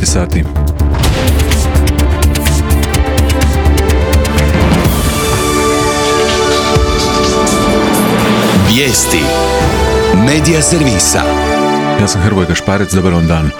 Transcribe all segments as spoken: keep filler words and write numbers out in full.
devet sati. Vijesti Medija servisa. Ja sam Hrvoje Gašparec, dobar vam dan.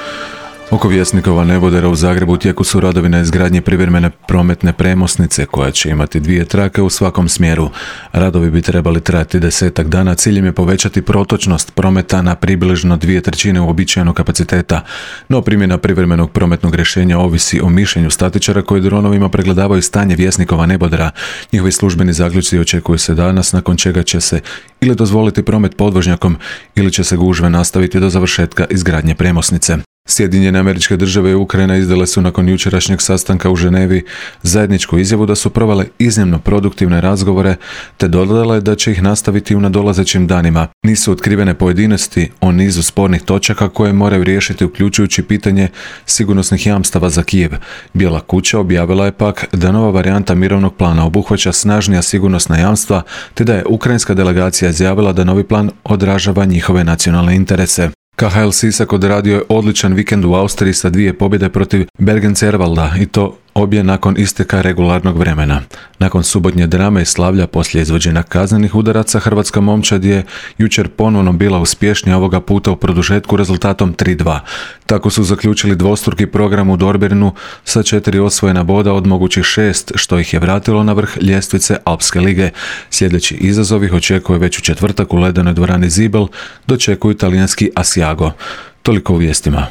Oko Vjesnikova nebodera u Zagrebu u tijeku su radovi na izgradnji privremene prometne premosnice koja će imati dvije trake u svakom smjeru. Radovi bi trebali trajati desetak dana, ciljem je povećati protočnost prometa na približno dvije trećine uobičajenog kapaciteta. No primjena privremenog prometnog rješenja ovisi o mišljenju statičara koji dronovima pregledavaju stanje Vjesnikova nebodera. Njihovi službeni zaključci očekuju se danas, nakon čega će se ili dozvoliti promet podvožnjakom ili će se gužve nastaviti do završetka izgradnje premosnice. Sjedinjene Američke Države i Ukrajina izdale su nakon jučerašnjeg sastanka u Ženevi zajedničku izjavu da su provele iznimno produktivne razgovore te dodale da će ih nastaviti u nadolazećim danima. Nisu otkrivene pojedinosti o nizu spornih točaka koje moraju riješiti, uključujući pitanje sigurnosnih jamstava za Kijev. Bijela kuća objavila je pak da nova varijanta mirovnog plana obuhvaća snažnija sigurnosna jamstva te da je ukrajinska delegacija izjavila da novi plan odražava njihove nacionalne interese. K H L Sisak odradio je odličan vikend u Austriji sa dvije pobjede protiv Bergen-Servalda i to obje nakon isteka regularnog vremena. Nakon subotnje drame i slavlja poslije izvođenja kaznenih udaraca, hrvatska momčad je jučer ponovno bila uspješnija, ovoga puta u produžetku rezultatom tri dva. Tako su zaključili dvostruki program u Dorbernu sa četiri osvojena boda od mogućih šest, što ih je vratilo na vrh ljestvice Alpske lige. Sljedeći izazov ih očekuje već u četvrtak u ledenoj dvorani Zibel, dočekuju talijanski Asiago. Toliko u vijestima.